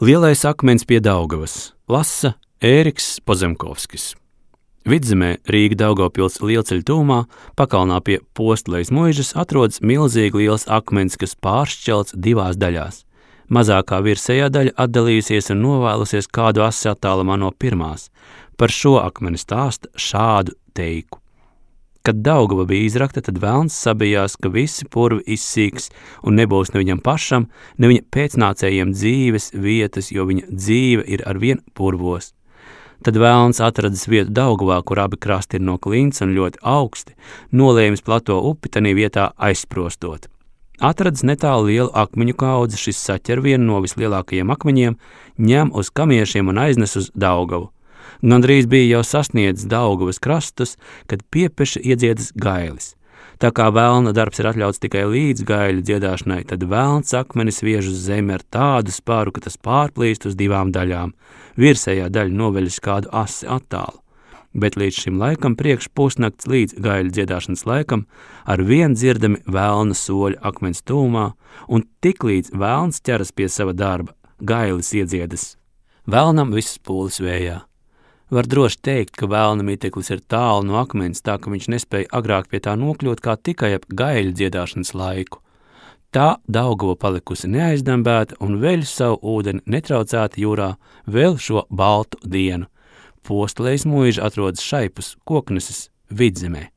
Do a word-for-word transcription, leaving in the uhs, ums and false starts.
Lielais akmens pie Daugavas, lasa Ēriks Pozemkovskis. Vidzemē Rīga Daugavpils lielceļa tūmā, pakalnā pie Postlejas muižas, atrodas milzīgi liels akmens, kas pāršķelts divās daļās. Mazākā virsējā daļa atdalījusies un novēlusies kādu asi attālumā no pirmās. Par šo akmeni stāsta šādu teiku. Kad Daugava bija izrakta, tad velns sabijās, ka visi purvi izsīks un nebūs ne viņam pašam, ne viņa pēcnācējiem dzīves vietas, jo viņa dzīve ir arvien purvos. Tad velns atradis vietu Daugavā, kur abi krasti ir no klints un ļoti augsti, nolēmis plato upi tanī vietā aizsprostot. Atradis netālu lielu akmeņu kaudzi, šis saķer vienu no vislielākajiem akmeņiem, ņem uz kamiešiem un aiznes uz Daugavu. Gandrīz bija jau sasniedzis Daugavas krastus, kad piepeši iedziedas gailis. Tā kā velna darbs ir atļauts tikai līdz gaiļu dziedāšanai, tad velns akmenis viež uz zemi ar tādu spāru, ka tas pārplīst uz divām daļām. Virsējā daļa noveļas kādu asi attālu. Bet līdz šim laikam priekš pusnakts līdz gaiļu dziedāšanas laikam ar vien dzirdami velna soļi akmens tūmā, un tik līdz velns ķeras pie sava darba, gailis iedziedas. Velnam visas pūles vējā. Var droši teikt, ka velna miteklis ir tālu no akmens, tā ka viņš nespēja agrāk pie tā nokļūt kā tikai ap gaiļu dziedāšanas laiku. Tā Daugava palikusi neaizdambēta un veļ savu ūdeni netraucēta jūrā vēl šo baltu dienu. Postlejas muiža atrodas šaipus Kokneses vidzemē.